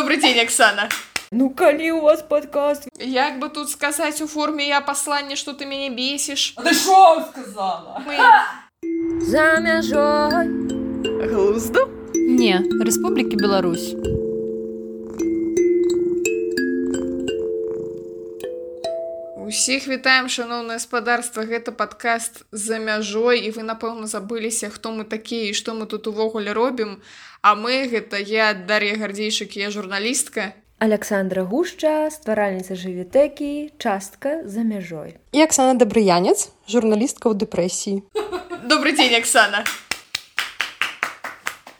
Добрый день, Оксана. Ну, калі у вас подкаст? Як бы тут сказать у форме «я посланне, что ты меня бесишь»? А ты шо сказала? За мяжой. Глузду? Не, Республіки Беларусь. Усіх вітаем, шаноўнае гаспадарства, гэта падкаст «За мяжой», і вы, напэўна, забыліся, хто мы такія і што мы тут увогуле робім. А мы, гэта я, Дар'я Гардзейчык, я журналістка. Александра Гушча, стваральніца жывітэкі, частка «За мяжой». І Оксана Добрыянец, журналістка ў дэпрэсіі. Добрый день, Оксана.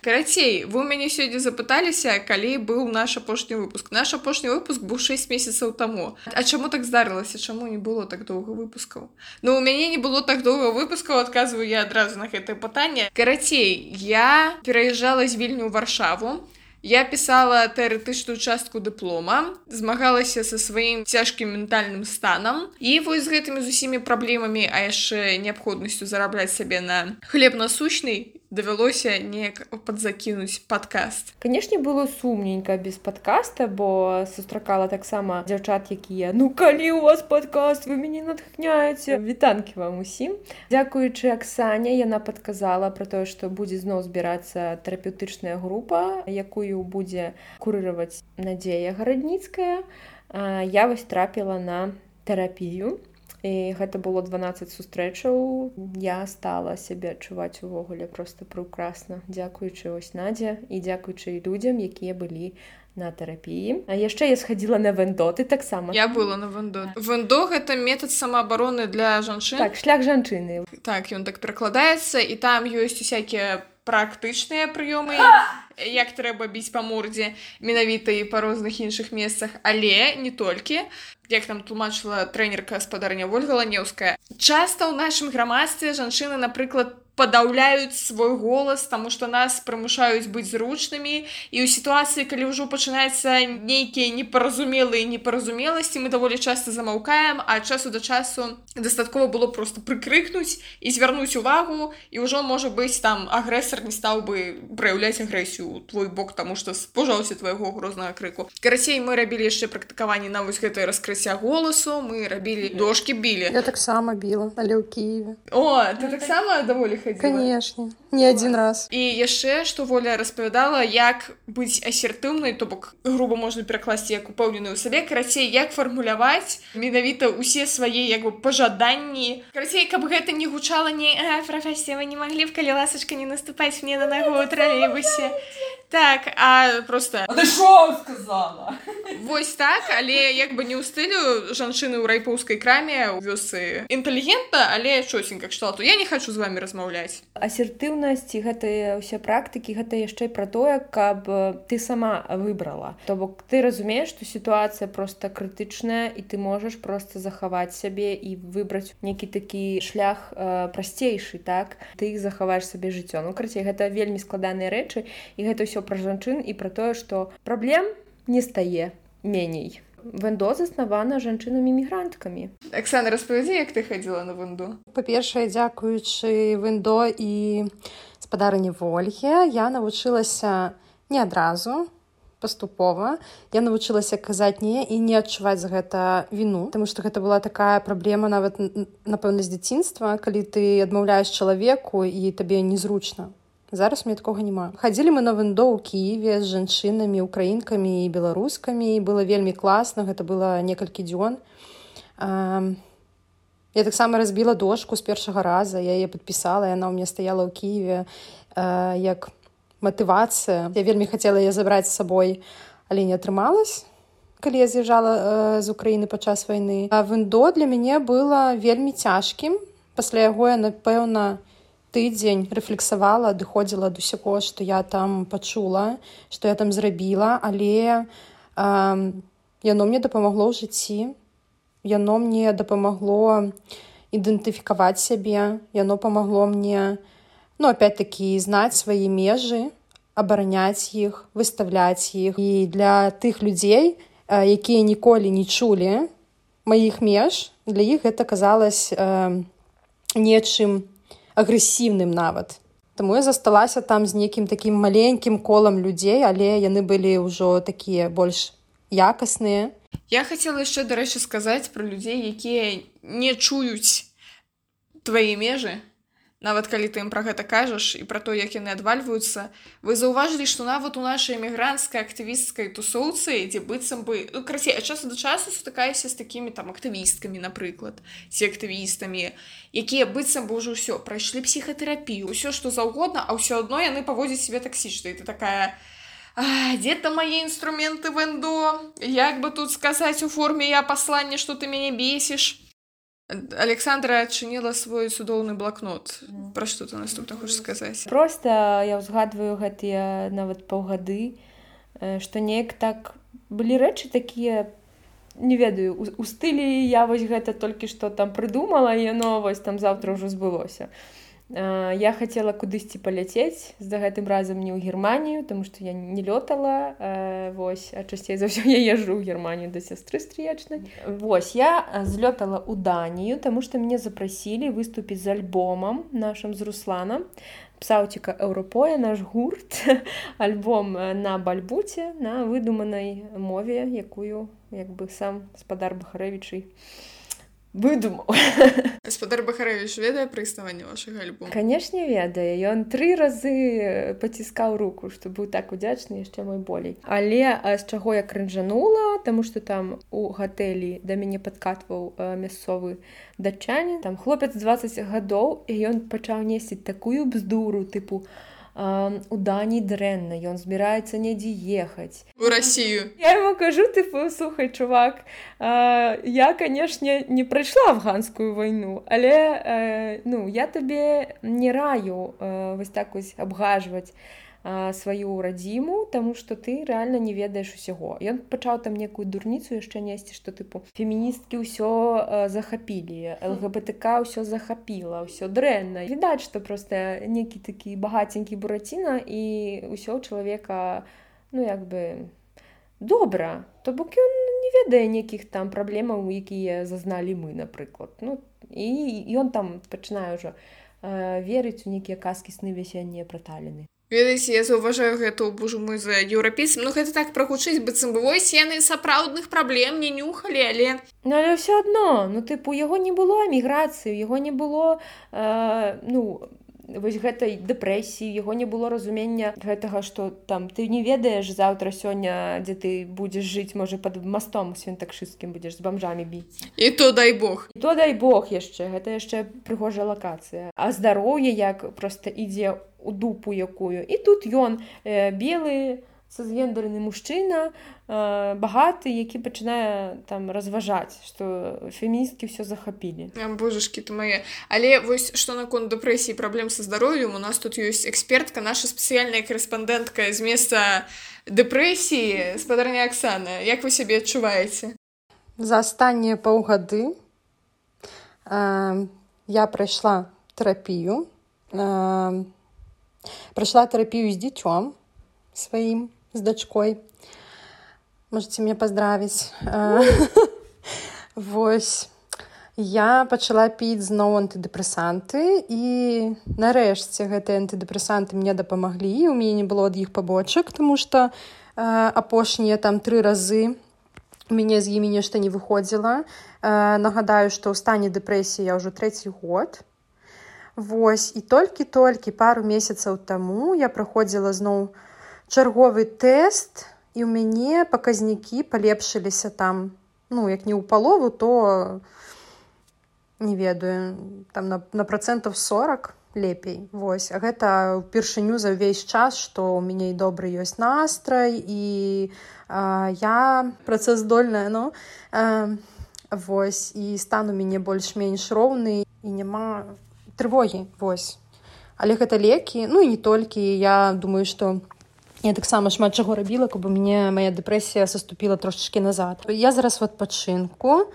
Карацей, вы ў мяне сёння запыталіся, калі быў наш апошні выпуск. Наш апошні выпуск быў 6 месяцаў таму. А чаму так здарылася? Чаму не было так доўга выпускаў? Ну, у мяне не было так доўга выпускаў, адказваю я адразу на гэтае пытанне. Карацей, я пераязджала з Вільню ў Варшаву. Я пісала тэарэтычную частку дыплома, змагалася са сваім цяжкім ментальным станам. І вось з гэтымі з усімі праблемамі, а яшчэ неабходнасцю зарабляць сабе на хлеб насущны, давялося неяк падзакінуць падкаст. Канешне, было сумненька без падкаста, бо сустракала таксама дзяўчат, якія «Ну, калі у вас падкаст, вы мяне натхняеце». Вітанкі вам усім. Дзякуючы Аксане, яна падказала пра тое, што будзе зноў збірацца тэрапеўтычная група, якую будзе курыраваць Надзея Гарадніцкая. Я вось трапіла на тэрапію. І гэта было 12 сустрэчаў. Я стала сябе адчуваць увогуле проста прекрасна. Дзякуючы вось Надзе і дзякуючы людзям, якія былі на тэрапіі. А яшчэ я схадзіла на вэндо, ты таксама. Я была на вэндо. Вэндо — гэта метад самаабароны для жанчын. Так, шлях жанчыны. Так, ён так перакладаецца, і там ёсць усякія практычныя прыёмы, як трэба біць па мордзе, менавіта і па розных іншых месцах, але не толькі. Як нам тлумачыла трэнерка-гаспадарня Вольга Ланеўская, часта ў нашым грамадстве жанчыны, напрыклад, падаўляюць свой голас, таму што нас прымушаюць быць зручнымі, і ў сітуацыі, калі ўжо пачынаецца нейкія непаразумелыя непаразумеласці, мы даволі часта замаўкаем, а часу да часу дастаткова было проста прыкрыкнуць і звярнуць увагу, і ўжо, можа быць, там агрэсар не стаў бы праяўляць агрэсію ў твой бок, таму што спужаўся твайго грознага крыку. Карацей, мы рабілі яшчэ практыкаванні на вось гэтае раскрыцця голасу, мы рабілі дошкі, білі. Я таксама біла, але ў Киеве. О, ты таксама даволі ходзіла? Конечно, не один раз. І яшчэ, што Воля распавядала, як быць асертыўнай, то бок груба можна перакласці як упэўненую ў сабе. Карацей, як фармуляваць менавіта ўсе свае як бы пажаданні. Карацей, каб гэта не гучала не «Прафесія, вы не маглі б, калі ласачка, не наступаць мне на нагу ў тралейбусе». Так, а просто... А ты шо сказала? Вось так, але як бы не ў стылю жанчыны ў райпоўскай краме ў вёсцы інтэлігентна, але чосенька кшталту. Я не хачу з вамі размаўляць. Асертыўнасць і гэтыя ўсе практыкі, гэта яшчэ пра тое, каб ты сама выбрала. То бок ты разумееш, што сітуацыя проста крытычная, і ты можаш проста захаваць сябе і выбраць нейкі такі шлях прасцейшы, так? Ты захаваеш сабе жыццё. Ну, карацей, гэта вельмі складаныя рэчы, і гэта ўсё пра жанчын і пра тое, што праблем не стае меней. Вэндо заснавана жанчынамі-мігранткамі. Оксана, распавядзі, як ты хадзіла на вэндо? Па-першае, дзякуючы вэндо і гаспадарыні Вольге, я навучылася не адразу, паступова. Я навучылася казаць не і не адчуваць за гэта віну, таму што гэта была такая праблема нават, напэўна, з дзяцінства, калі ты адмаўляеш чалавеку і табе незручна. Зараз у мяне такога няма. Хадзілі мы на вэндо ў Киеве з жанчынамі, украінкамі і беларускамі. Было вельмі класна, гэта было некалькі дзён. Я таксама разбіла дошку з першага раза, я яе падпісала, яна ў мяне стаяла ў Киеве як матывацыя. Я вельмі хацела яе забраць з сабой, але не атрымалась, калі я з'язджала з Украіны падчас вайны. А вэндо для мяне было вельмі цяжкім. Пасля яго я, напэўна, тыдзень рэфлексавала, адыходзіла ад усяго, што я там пачула, што я там зрабіла, але яно мне дапамагло ў жыцці, яно мне дапамагло ідэнтыфікаваць сябе, яно памагло мне, опять-таки, знаць свае межы, абараняць іх, выставляць іх. І для тых людзей, якія ніколі не чулі маіх меж, для іх гэта казалось нечым агрэсіўным нават. Таму я засталася там з нейкім такім маленькім колам людзей, але яны былі ўжо такія больш якасныя. Я хацела яшчэ, дарэчы, сказаць пра людзей, якія не чуюць твае межы. Нават калі ты ім пра гэта кажаш і пра то, як яны адвальваюцца, вы заўважылі, што нават у нашай эмігранцкай актывісцкай тусоўцы, дзе быццам бы, ну, красей, ад часу да часу сутыкаюся з такімі там актывісткамі, напрыклад, ці актывістамі, якія быццам бы ўжо ўсё, прайшлі псіхатэрапію, ўсё што заўгодна, а ўсё адно яны паводзяць сябе таксічна. І ты такая: дзе там мае інструменты вэндо? Як бы тут сказаць у форме я пасланне, што ты мяне бесіш? Александра адчыніла свой цудоўны блакнот. Пра што ты наступна хочаш сказаць? Проста я ўзгадваю гэтыя нават паўгады, што неяк так былі рэчы такія, не ведаю, у стылі я вось гэта толькі што там прыдумала, і яно вось там заўтра ўжо збылося. Я хацела кудысьці паляцець, за гэтым разам не ў Германію, таму што я не лётала, вось, а часцей за ўсё я езджу ў Германію да сястры стрыечнай. Вось, я злётала ў Данію, таму што мяне запрасілі выступіць з альбомам нашым з Русланам. Псаўціка Еўропоя, наш гурт, альбом на бальбуце, на выдуманай мове, якую, як бы, сам гаспадар Бахарэвічы выдумаў. Гаспадар Бахарэвіч ведае пра існаванне вашага альбома? Канешне, ведае. Ён 3 разы паціскаў руку, што быў так удзячны, яшчэ мой болей. Але з чаго я крынжанула, таму што там у гатэлі да мяне падкатваў мясцовы датчанін, там хлопец 20 гадоў, і ён пачаў несці такую бздуру, тыпу: у Даніі дрэнна, ён збіраецца недзе ехаць. У Расію. Я яму кажу, тыпу: слухай, чувак, я, канешне, не прайшла афганскую вайну, але ну, я табе не раю вось так вось абгажваць сваю радзіму, таму што ты рэальна не ведаеш усяго. Ён пачаў там некую дурніцу яшчэ несці, што тыпу феміністкі ўсё захапілі, ЛГБТК ўсё захапіла, ўсё дрэнна. Відаць, што проста некі такі багаценькі бураціна, і ўсё ў чалавека, ну, як бы, добра. То бок ён не ведае нейкіх там праблемаў, якія зазналі мы, напрыклад. Ну, і ён там пачынае ўжо верыць у нейкія казкі, сны весеннія пра Таліны. Ведаеце, я заўважаю гэта ў божу мой за еўрапейцам. Ну, гэта так прагучыць, быццам бы вось яны сапраўдных праблем не нюхалі, але... Ну, але ўсё адно, ну, тыпу, яго не было эміграцыі, яго не было, ну, вось гэтай дэпрэсіі, яго не было разумення гэтага, што там ты не ведаеш заўтра, сёння, дзе ты будзеш жыць, можа, пад мастом свінтакшысцкім будзеш з бамжамі біць. І то дай Бог. І то дай Бог яшчэ, гэта яшчэ прыгожая лакацыя. А здароўе як проста ідзе у дупу якую. І тут ён белы, цысгендерны мужчына, багаты, які пачынае там разважаць, што феміністкі ўсё захапілі. Божашкі ты мае. Але вось што наконт дэпрэсіі, праблем са здароўем, у нас тут ёсць экспертка, наша спецыяльная корэспандэнтка з месца дэпрэсіі, спадарня Аксана. Як вы сябе адчуваеце? За астатнія паўгады я прайшла тэрапію. Прайшла тэрапію з дзіцём сваім, з дачкой. Можаце мне паздравіць. Вось. Я пачала піць зноў антыдэпрэсанты, і нарэшце гэтыя антыдэпрэсанты мне дапамаглі. У мяне не было ад іх пабочак, таму што апошнія там 3 разы у мяне з імі нешта не выходзіла. Нагадаю, што ў стане дэпрэсіі я ўжо 3-й год. Вось, і толькі пару месяцаў таму я праходзіла зноў чарговы тэст, і ў мяне паказнікі палепшыліся там, ну, як не ў палову, то, не ведаю, там на процентов 40 лепей. Вось, а гэта ўпершыню за ўвесь час, што ў мяне і добры ёсць настрай, і я працаздольная, ну, вось, і стан у мяне больш-менш роўны, і няма трывогі, вось. Але гэта лекі, ну і не толькі. Я думаю, што я таксама шмат чаго рабіла, каб у мяне мая дэпрэсія саступіла трошачкі назад. Я зараз в адпачынку.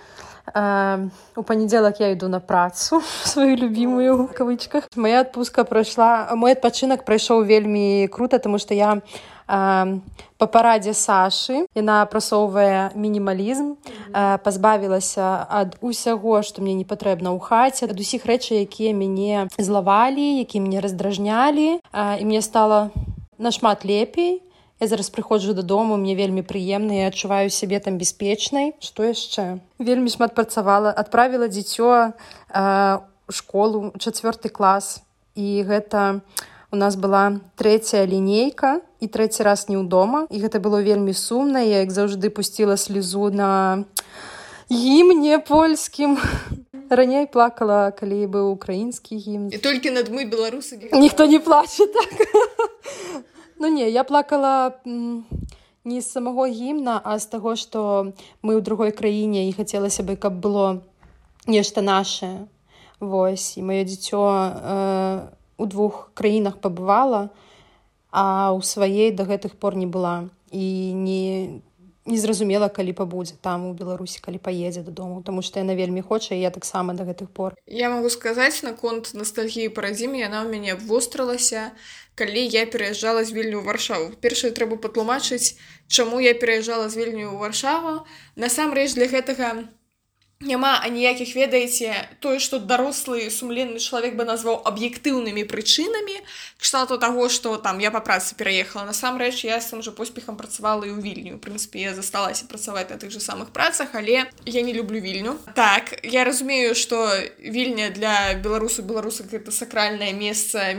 У панядзелак я іду на працу, сваю любімую, в кавычках. Моя адпустка прайшла, мой адпачынак прайшоў вельмі крута, таму што я па парадзе Сашы. Яна прасоўвае мінімалізм, пазбавілася ад усяго, што мне не патрэбна ў хаце, ад усіх рэчаў, якія мяне злавалі, якія мяне раздражнялі, і мне стала нашмат лепей. Я зараз прыходжу дадому, мне вельмі прыемна, я адчуваю сябе там бяспечнай. Што яшчэ? Вельмі шмат працавала, адправіла дзіцё ў школу, 4 клас, і гэта у нас была 3-я лінейка і 3-й раз не ўдома, і гэта было вельмі сумна. Я, як заўжды, пусціла слезу на гімне польскім. Раней плакала, калі быў украінскі гімн. І толькі над мы, беларусы, ніхто не плаче, так. Ну не, я плакала не з самого гімна, а з таго, што мы ў другой краіне, і хацелася бы, каб было нешта нашае. Вось, і маё дзіцё у 2 краінах пабывала, а ў сваей да гэтых пор не была. І не зразумела, калі пабудзе там у Беларусі, калі паедзе дадому, таму што яна вельмі хоча, і я таксама да гэтых пор. Я магу сказаць, наконт ностальгіі па радзіме, яна ў мяне абвострылася, калі я пераязджала з Вільню ў Варшаву. Першае, трэба патлумачыць, чаму я пераязджала з Вільню ў Варшаву. Насамрэч, для гэтага няма аніякіх, ведаеце, тое, што дарослы сумленны чалавек бы назваў аб'ектыўнымі прычынамі, кшталту таго, што там я па працы пераехала. Насамрэч, я з тым жа поспехам працавала і ў Вільню. У прынцыпе, я засталася працаваць на тых жа самых працах, але я не люблю Вільню. Так, я разумею, што Вільня для беларусак гэта сакральнае месца,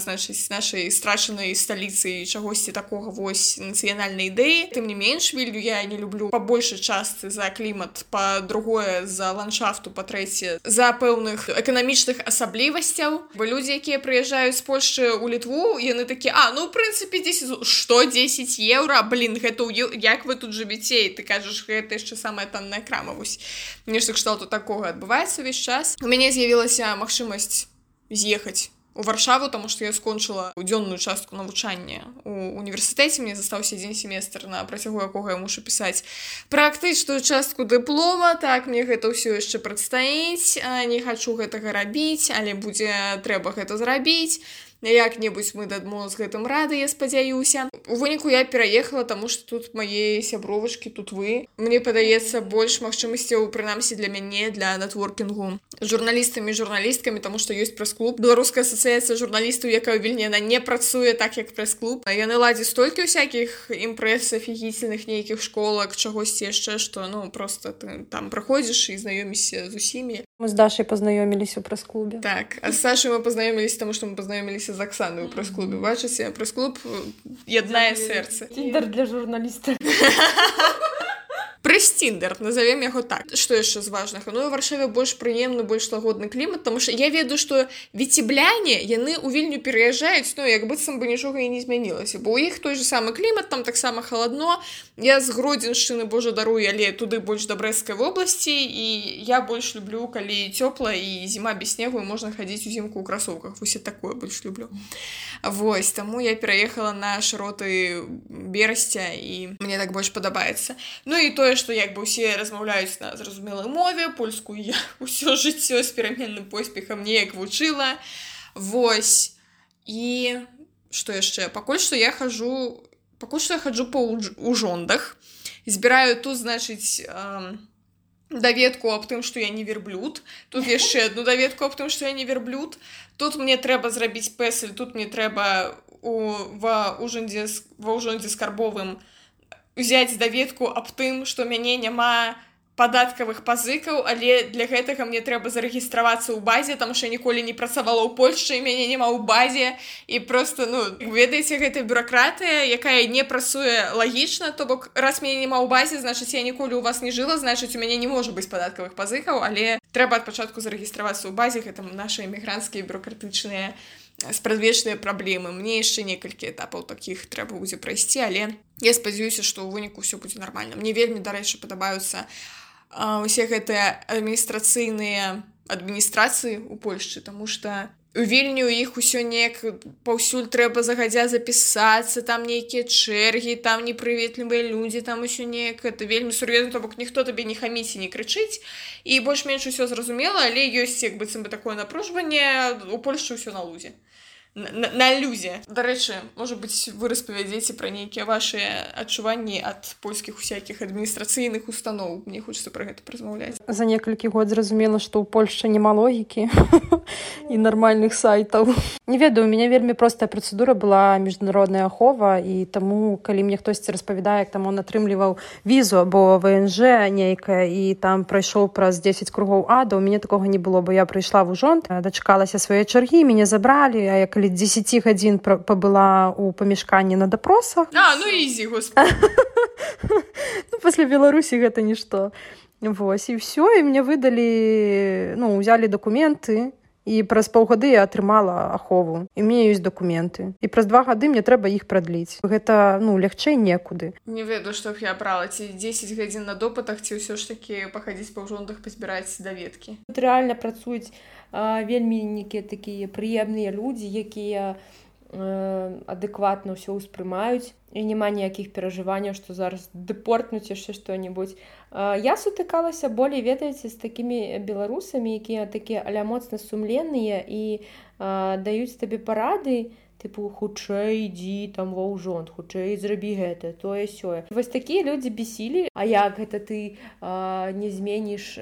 значыць, нашай страчанай сталіцы і чагосьці такога вось нацыянальнай ідэі. Тым не менш, Вільню я не люблю па большай частцы за клімат, па-другое, за ландшафту, па-трэцяе, за пэўных эканамічных асаблівасцяў. Бо людзі, якія прыязджаюць з Польшчы ў Літву, яны такі, ну, ў прынцыпе, 10 еўра? Блін, гэта як вы тут жывіце? І ты кажаш, гэта яшчэ самая танная крама. Вось, нешта кшталту такога адбываецца ўвесь час. У мяне з'явілася магчымасць з'ехаць у Варшаву, таму што я скончыла дзённую частку навучання у універсітэце, мне застаўся 1 семестр, на працягу якога я мушу пісаць практычную частку дыплома. Так, мне гэта ўсё яшчэ прадстаіць, не хачу гэтага рабіць, але будзе трэба гэта зрабіць. Як-небудзь мы дадмо з гэтым рады, я спадзяюся. У выніку я пераехала, таму што тут мае сябровачкі, тут вы. Мне падаецца больш магчымасцяў, прынамсі для мяне, для нетворкінгу з журналістамі і журналісткамі, таму што ёсць прэс-клуб. Беларуская асацыяцыя журналістаў, якая ў Вільні, яна не працуе так, як прэс-клуб. Яны ладзяць столькі ўсякіх імпрэс, афігіцельных нейкіх школак, чагосьці яшчэ, што, ну, проста ты там прыходзіш і знаёмішся з усімі. Мы з Дашай пазнаёміліся ў прэс-клубе. Так, а з Сашай мы пазнаёміліся, таму што мы пазнаёміліся з Аксанай у прэс-клубе. Бачыце, прэс-клуб яднае сэрца. Тіндер для журналіста. Прэс-тіндер, назовем яго так. Што яшчэ з важнага? Ну, у Варшаве больш прыемны, больш лагодны клімат, таму што я ведаю, што віцебляне, яны ў Вільню пераязджаюць, ну, як быццам бы нічога і не змянілася, бо ў іх той же самы клімат, там таксама халадно. Я з Гродзеншчыны, божа даруй, але туды больш да Брэсцкай вобласці, і я больш люблю, калі цёпла і зіма без снегу, і можна хадзіць узімку ў красоўках. Вось я такое больш люблю. Вось, таму я пераехала на шыроты Берасця, і мне так больш падабаецца. Ну і тое, што як бы ўсе размаўляюць на зразумелай мове, польскую я ўсё жыццё з пераменным поспехам неяк вучыла. Вось. І што яшчэ? Пакуль што я хаджу па ўжондах. Збіраю тут, значыць, даведку аб тым, што я не верблюд. Тут яшчэ адну даведку аб тым, што я не верблюд. Тут мне трэба зрабіць пэсель, тут мне трэба ва ўжондзе скарбовым узяць даведку аб тым, што мяне няма падаткавых пазыкаў, але для гэтага мне трэба зарэгістравацца ў базе, таму што я ніколі не працавала ў Польшчы, і мяне няма ў базе, і проста, ну, ведаеце, гэта бюракратыя, якая не працуе лагічна, то бок, раз мяне няма ў базе, значыць, я ніколі ў вас не жыла, значыць, у мяне не можа быць падаткавых пазыкаў, але трэба ад пачатку зарэгістравацца ў базе, гэта нашы эмігранцкія бюракратычныя спрадвечныя праблемы. Мне яшчэ некалькі этапаў такіх трэба будзе прайсці, але я спадзяюся, што ў выніку ўсё будзе нармальна. Мне вельмі, дарэчы, падабаюцца усе гэтыя адміністрацыі ў Польшчы, таму што у Вільню іх усё неяк паўсюль трэба загадзя запісацца, там нейкія чэргі, там непрыветлівыя людзі, там усё неяк, это вельмі сур'ёзна, то бок ніхто табе не хаміць і не крычыць, і больш-менш усё зразумела, але ёсць як быццам бы такое напружванне, у Польшчы ўсё на лузе. на люзе. Дарэчы, можа быць, вы распавядзеце пра нейкія вашыя адчуванні ад польскіх усякіх адміністрацыйных устаноў. Мне хочацца пра гэта размаўляць. За некалькі год зразумела, што ў Польшчы няма логікі і нармальных сайтаў. Не ведаю, у мяне вельмі простая працэдура была міжнародная ахова, і таму, калі мне хтосьці распавядае, як там он атрымліваў візу або ВНЖ нейкая, і там прайшоў праз 10 кругоў ада, у мяне такога не было, бо я прыйшла в ужонт, дачакалася свае чаргі, мяне забралі, а я калі 10 гадзін пабыла ў памяшканні на дапросах. Ну ізі, господи. Ну, пасля Беларусі гэта нішто. Вось, і ўсё, і мне выдалі, узялі дакументы, і праз паўгады я атрымала ахову. І ў мяне ёсць дакументы. І праз 2 гады мне трэба іх прадліць. Гэта, лягчэй некуды. Не ведаю, што б я брала, ці 10 гадзін на допытах, ці ўсё ж такі пахадзіць па ўжонтах, пазбіраць даведкі. Тут рэальна працуюць вельмі нейкія такія прыемныя людзі, якія адэкватна ўсё ўспрымаюць, і няма ніякіх перажыванняў, што зараз дэпортнуць яшчэ што-небудзь. Я сутыкалася болей, ведаеце, з такімі беларусамі, якія такія аля моцна сумленныя і даюць табе парады, тыпу, хутчэй ідзі там ва ўжонт, хутчэй зрабі гэта, тое сёе. Вось такія людзі бесілі, а як гэта ты не зменіш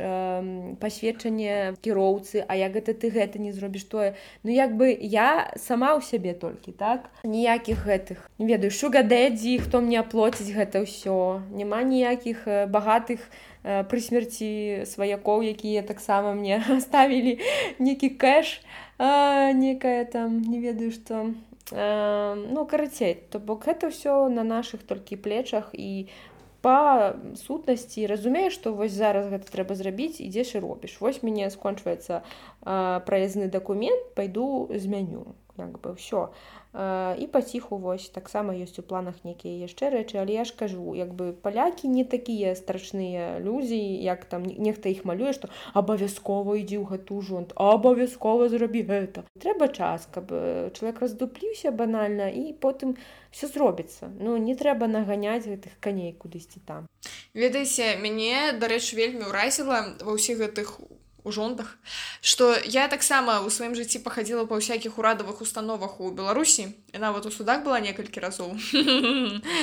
пасведчанне кіроўцы, а як гэта ты гэта не зробіш тое. Як бы я сама ў сябе толькі, так? Ніякіх гэтых, не ведаю, шугадэдзі, хто мне аплоціць гэта ўсё. Няма ніякіх багатых пры смерці сваякоў, якія таксама мне ставілі нейкі кэш, некая там, не ведаю што. Карацей, то бок гэта ўсё на нашых толькі плечах, і па сутнасці разумееш, што вось зараз гэта трэба зрабіць, ідзеш і робіш. Вось мяне скончваецца праязны дакумент, пайду змяню, як бы ўсё. І паціху вось таксама ёсць у планах нейкія яшчэ рэчы, але я ж кажу, як бы палякі не такія страшныя людзі, як там нехта іх малюе, што абавязкова ідзі ў гэты ўжонт, абавязкова зрабі гэта. Трэба час, каб чалавек раздупліўся банальна, і потым все зробіцца. Не трэба наганяць гэтых каней кудысьці там. Ведаеце, мяне, дарэчы, вельмі ўразіла ва ўсіх гэтых ужонтах, што я таксама ў сваім жыцці пахадзіла па ўсякіх урадавых установах у Беларусі, і нават у судах была некалькі разоў.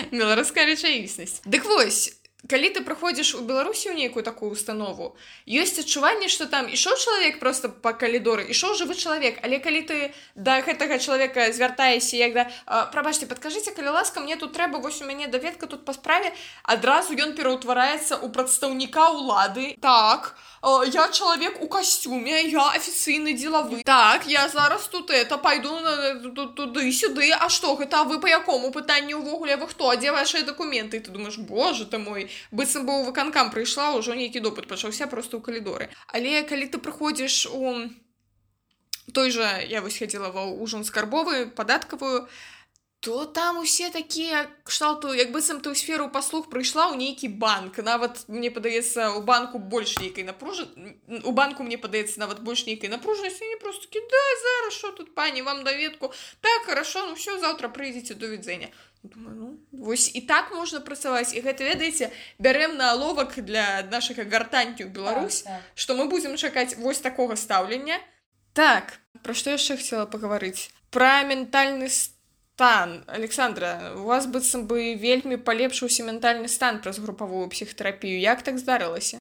Беларуская рэчаіснасць. Дык вось, калі ты прыходзіш у Беларусі ў нейкую такую установу, ёсць адчуванне, што там ішоў чалавек проста па калідоры, ішоў жывы чалавек, але калі ты да гэтага чалавека звяртаешся, як да прабачце, падкажыце, калі ласка, мне тут трэба, вось у мяне даведка тут па справе, адразу ён пераўтвараецца ў прадстаўніка ўлады. Так, я чалавек у касцюме, я афіцыйны дзелавы. Так, я зараз тут пайду туды-сюды, а што гэта, а вы па якому пытанні ўвогуле, вы хто, а дзе вашыя дакументы? І ты думаеш, боже ты мой, быццам бы ў выканкам прыйшла, ўжо нейкі допыт пачаўся проста ў калідоры. Але калі ты прыходзіш у той жа, я вось хадзіла ва ўжон скарбовы, падаткавую, то там усе такія кшталту, як быццам ты ў сферу паслуг прыйшла ў нейкі банк. Нават, мне падаецца, у банку больш нейкай напружанасці. У банку, мне падаецца, нават больш нейкай напружанасці. Они просто такі, да, зараз, що тут, пані, вам даведку. Так, хорошо, все, завтра прыйдзеце, до відзення. Думаю, вось і так можна працаваць. І гэта, ведаеце, бярем на аловак для нашага гартанькі ў Беларусь, што мы будзем чакаць вось такога стаўлення. Так, пра што яшчэ хацела пагаварыць? Пра ментальны стан. Александра, у вас быццам бы вельмі палепшыўся ментальны стан праз групавую псіхатэрапію. Як так здарылася?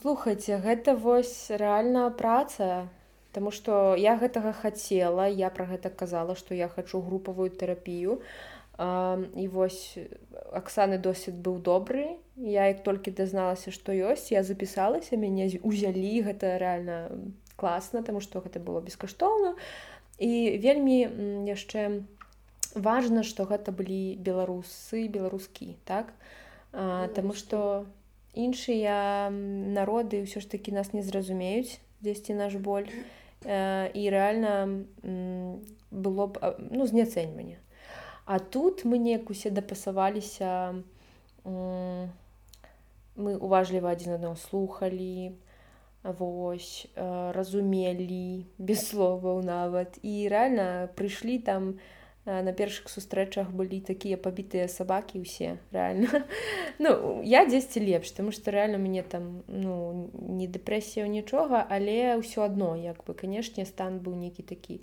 Слухайце, гэта вось рэальная праца, таму што я гэтага хацела, я пра гэта казала, што я хачу групавую тэрапію. І вось Аксаны досвед быў добры. Я як толькі дазналася, што ёсць, я запісалася, мяне узялі, гэта рэальна класна, таму што гэта было бескаштоўна. І вельмі яшчэ важна, што гэта былі беларусы, беларускі, так? Таму што іншыя народы ўсё ж такі нас не зразумеюць, дзесьці наш боль. І рэальна было б зняцэньванне. А тут мы неяк усе дапасаваліся, мы уважліва адзін аднаго слухалі, вось, разумелі, без словаў нават. І рэальна прыйшлі там, на першых сустрэчах былі такія пабітыя сабакі ўсе, рэальна. Я дзесьці лепш, таму што рэальна мяне там, не дэпрэсія, нічога, але ўсё адно, як бы, канешне, стан быў нейкі такі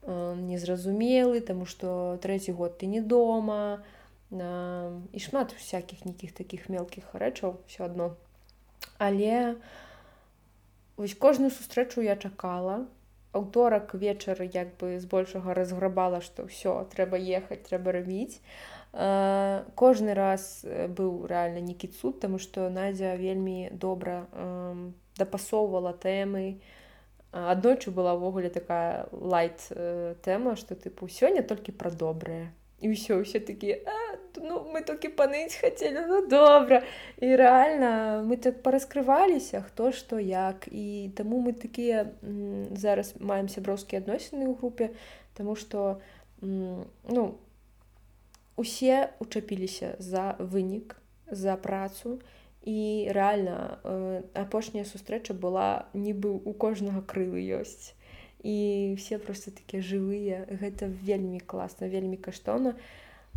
незразумелы, таму што трэці год ты не дома, і шмат всякіх нейкіх такіх мелкіх рэчаў ўсё адно. Але вось кожную сустрэчу я чакала. Аўторак вечар як бы збольшага разграбала, што ўсё, трэба ехаць, трэба рабіць. Кожны раз быў рэальна нейкі цуд, таму што Надзя вельмі добра дапасоўвала тэмы. Аднойчы была ўвогуле такая лайт тэма, што тыпу сёння толькі пра добрае. І ўсё такія, ну мы толькі паныць хацелі, ну добра. І рэальна мы так параскрываліся, хто што як. І таму мы такія зараз маем сяброўскія адносіны ў групе, таму што ну усе учапіліся за вынік, за працу. І рэальна апошняя сустрэча была нібы у кожнага крылы ёсць. І все просто такія жывыя. Гэта вельмі класна, вельмі каштоўна.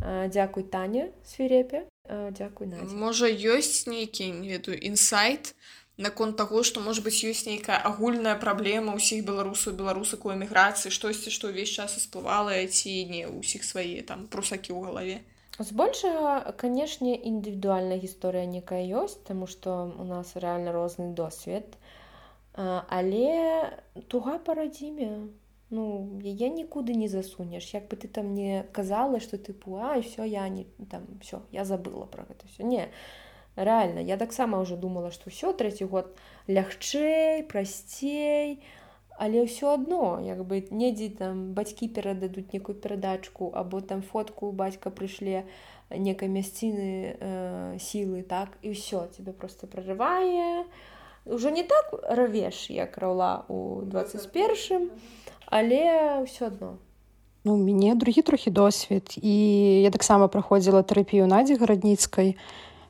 Дзякуй Таня Свірепе, дзякуй Надзя. Можа ёсць нейкі, не ведаю, інсайт наконт таго, што можа быць ёсць нейкая агульная праблема ўсіх беларусаў, беларусак у эміграцыі, штосьці, што ўвесь час усплывала, ці не ўсіх свае там прусакі ў галаве. Збольшага, канешне, індывідуальная гісторыя некая ёсць, таму што у нас рэальна розны досвед. Але туга па радзіме, ну, яе нікуды не засунеш. Як бы ты там не казала, што тыпу, ўсё, я не, там, ўсё, я забыла пра гэта ўсё. Не, рэальна, я таксама ўжо думала, што ўсё, трэці год лягчэй, прасцей, але ўсё адно, як бы недзе там бацькі перададуць некую перадачку, або там фотку у бацька прышле некай мясціны сілы, так, і ўсё, цябе проста прарывае. Ужо не так равеш, як раўла у 21-м, але ўсё адно. Ну, у мяне другі трохі досвед, і я таксама праходзіла тэрапію Надзі Гарадніцкай.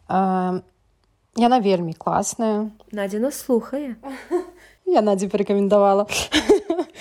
Яна вельмі класная. Надзя нас слухае. Я Надзі парэкамендавала.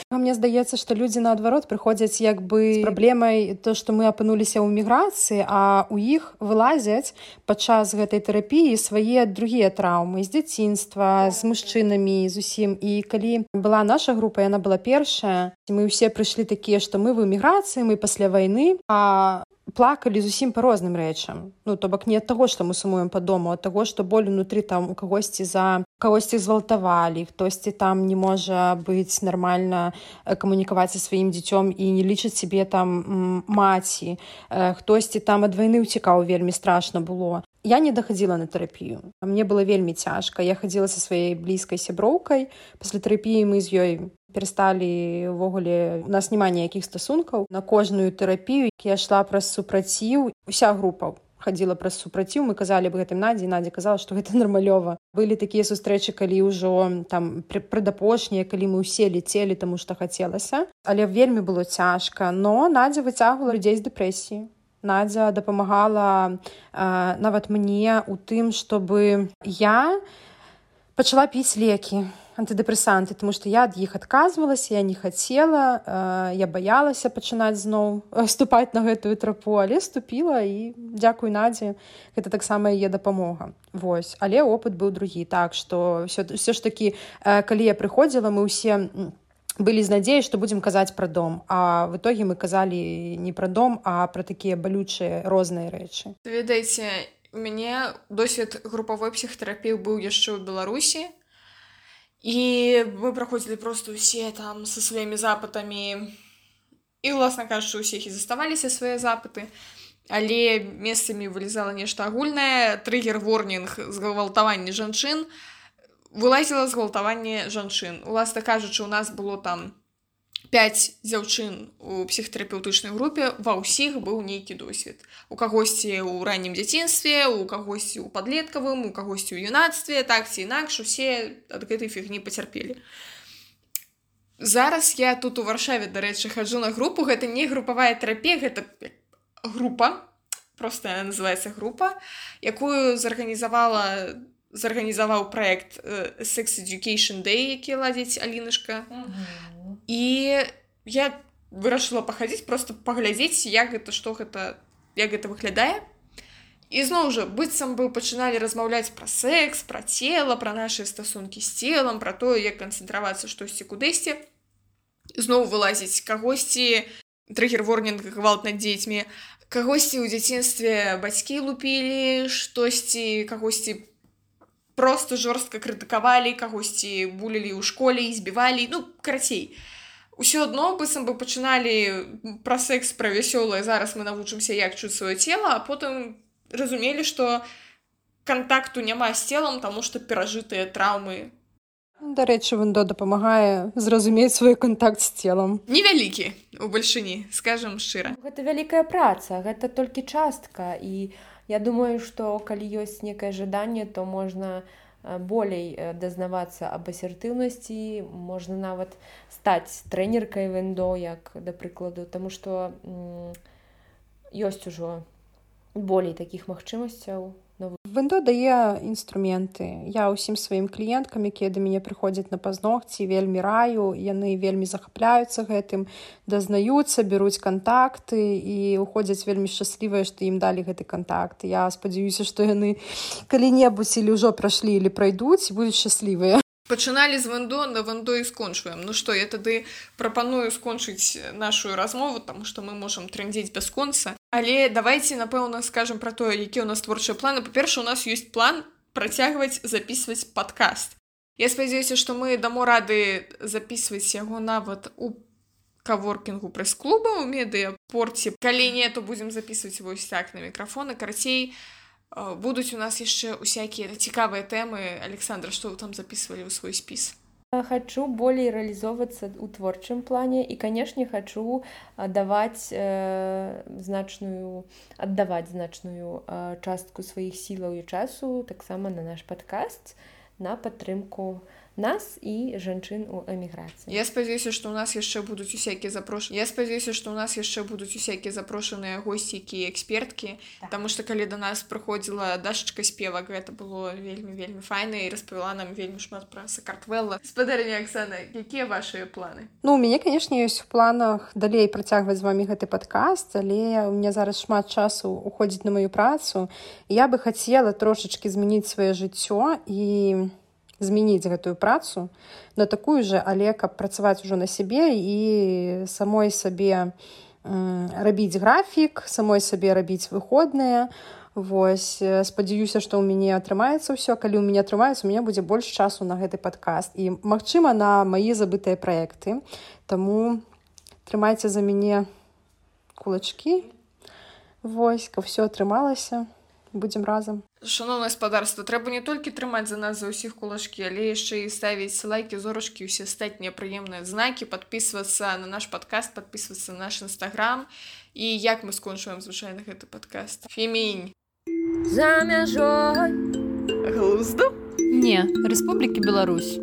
Мне здаецца, што людзі наадварот прыходзяць як бы з праблемай то, што мы апынуліся ў міграцыі, а ў іх вылазяць падчас гэтай тэрапіі свае другія траўмы з дзяцінства, з мужчынамі, зусім. І калі была наша група, яна была першая, мы ўсе прыйшлі такія, што мы в эміграцыі, мы пасля вайны, а плакалі зусім па розным рэчам. Ну, то бок не ад таго, што мы сумуем па дому, а ад таго, што боль унутры там у кагосьці згвалтавалі, хтосьці там не можа быць нармальна камунікаваць са сваім дзіцём і не лічыць сябе там маці. Хтосьці там ад вайны ўцікаў, вельмі страшна было. Я не дахадзіла на тэрапію. Мне было вельмі цяжка. Я хадзіла са сваёй блізкай сяброўкай. Пасля тэрапіі мы з ёй перасталі, увогуле, у нас няма ніякіх стасункаў. На кожную тэрапію я ішла праз супраціў. Уся група хадзіла праз супраціў. Мы казалі аб гэтым Надзі, Надзя казала, што гэта нармалёва. Былі такія сустрэчы, калі ўжо там прадапошнія, калі мы ўсе лецелі, таму што хацелася. Але вельмі было цяжка. Но Надзя выцягвала людзей з дэпрэсіі. Надзя дапамагала нават мне ў тым, чтобы я пачала піць лекі, антыдэпрэсанты, тому што я ад іх адказвалася, я не хацела, я баялася пачынаць зноў ступаць на гэтую трапу, але ступіла, і дзякуй Надзе, гэта таксама яе дапамога. Вось. Але опыт быў другі. Так што ўсё ж такі, калі я прыходзіла, мы ўсе былі з надзеяй, што будзем казаць пра дом, а в итоге мы казалі не пра дом, а пра такія балючыя розныя рэчы. Ведаеце, у мяне досвед групавой псіхатэрапіі быў яшчэ ў Беларусі, і мы праходзілі проста ўсе там са сваімі запытамі, і, уласна кажучы, ўсіх і заставаліся свае запыты, але месцамі вылезала нешта агульнае, трыгер-ворнінг згвалтавання жанчын, вылазіла згвалтаванне жанчын. Уласна кажучы, у нас было там 5 дзяўчын у псіхатэрапеўтычнай групе, ва ўсіх быў нейкі досвед. У кагосьці ў раннім дзяцінстве, у кагосьці ў падлеткавым, у кагосьці ў юнацтве, так ці інакш, усе ад гэтай фігні пацярпелі. Зараз я тут у Варшаве, дарэчы, хаджу на групу, гэта не групавая тэрапія, гэта група, проста яна называецца група, якую зарганізаваў праект Sex Education Day, які ладзіць Алінашка. І я вырашыла пахадзіць, просто паглядзець, як гэта выглядае. І зноў жа, быццам бы пачыналі размаўляць пра секс, пра цела, пра нашы стасункі з целам, пра тое, як канцэнтравацца штосьці кудысьці. зноў вылазіць кагосьці трыгер-ворнінг, гвалт над дзецьмі, кагосьці ў дзяцінстве бацькі лупілі, штосьці, кагосьці просто жорстка крытыкавалі, кагосьці булілі ў школе і збівалі, ну, карацей. Усё адно, быццам бы пачыналі пра секс, пра вясёлае, зараз мы навучымся, як чуць сваё цела, а потым разумелі, што кантакту няма з целам, таму што перажытыя траўмы. Дарэчы, вендо дапамагае зразумець свой контакт з целам. Невялікі у бальшыні, скажам шчыра. Гэта вялікая праца, гэта толькі частка, і я думаю, што калі ёсць некае жаданне, то можна болей дазнавацца аб асертыўнасці, можна нават стаць трэнеркай вендо, як да прыкладу, таму што ёсць ужо болей такіх магчымасцяў. Вендо дае інструменты. Я ўсім сваім кліенткам, якія да мяне прыходзяць на пазногці, вельмі раю, яны вельмі захапляюцца гэтым, дазнаюцца, бяруць кантакты і уходзяць вельмі шчаслівыя, што ім далі гэты кантакт. Я спадзяюся, што яны калі-небудзь или ўжо прашлі или прайдуць і будуць шчаслівыя. Пачыналі з вендо, на вендо і скончваем. Ну што, я тады прапаную скончыць нашу размову, таму што мы можам трындзець бясконца. Але давайце, напэўна, скажам пра тое, якія ў нас творчыя планы. Па-перша, у нас ёсць план працягваць запісваць падкаст. Я спадзяюся, што мы дамо рады запісваць яго нават у каворкінгу прэс-клуба, у медыяпорце. Калі не, то будзем запісваць вось так на мікрафоны. Карацей, будуць у нас яшчэ усякія цікавыя тэмы. Александра, што вы там запісвалі ў свой спіс? Хачу болей рэалізоўвацца ў творчым плане і, канешне, хачу аддаваць значную частку сваіх сілаў і часу таксама на наш падкаст, на падтрымку нас і жанчын у эміграцыі. Я спадзяюся, што ў нас яшчэ будуць усякія запрошаныя госці, якія эксперткі, таму што калі да нас прыходзіла Дашачка Спевак, гэта было вельмі файна і распавяла нам вельмі шмат пра Сакартвэлла. Спадарня Аксана, якія вашыя планы? Ну, у мяне, канешне, ёсць у планах далей працягваць з вамі гэты падкаст, але у меня зараз шмат часу уходзіць на маю працу. Я бы хацела трошачкі змяніць сваё жыццё і змяніць гэтую працу на такую же, але каб працаваць ужо на сябе і самой сабе рабіць графік, самой сабе рабіць выходныя. Вось, спадзяюся, што ў мяне атрымаецца ўсё. Калі ў мяне атрымаецца, у мяне будзе больш часу на гэты падкаст і, магчыма, на мае забытыя праекты. Таму трымайце за мяне кулачкі. Вось, каб ўсё атрымалася. Будзем разам. Шаноўнае спадарства, трэба не толькі трымаць за нас за ўсіх кулачкі, але яшчэ і ставіць лайкі, зорачкі, усе астатнія прыемныя знакі, падпісвацца на наш падкаст, падпісвацца на наш інстаграм. І як мы скончваем звычайна гэты падкаст? Фемінь. За мяжой. Глузду? Не, Рэспублікі Беларусь.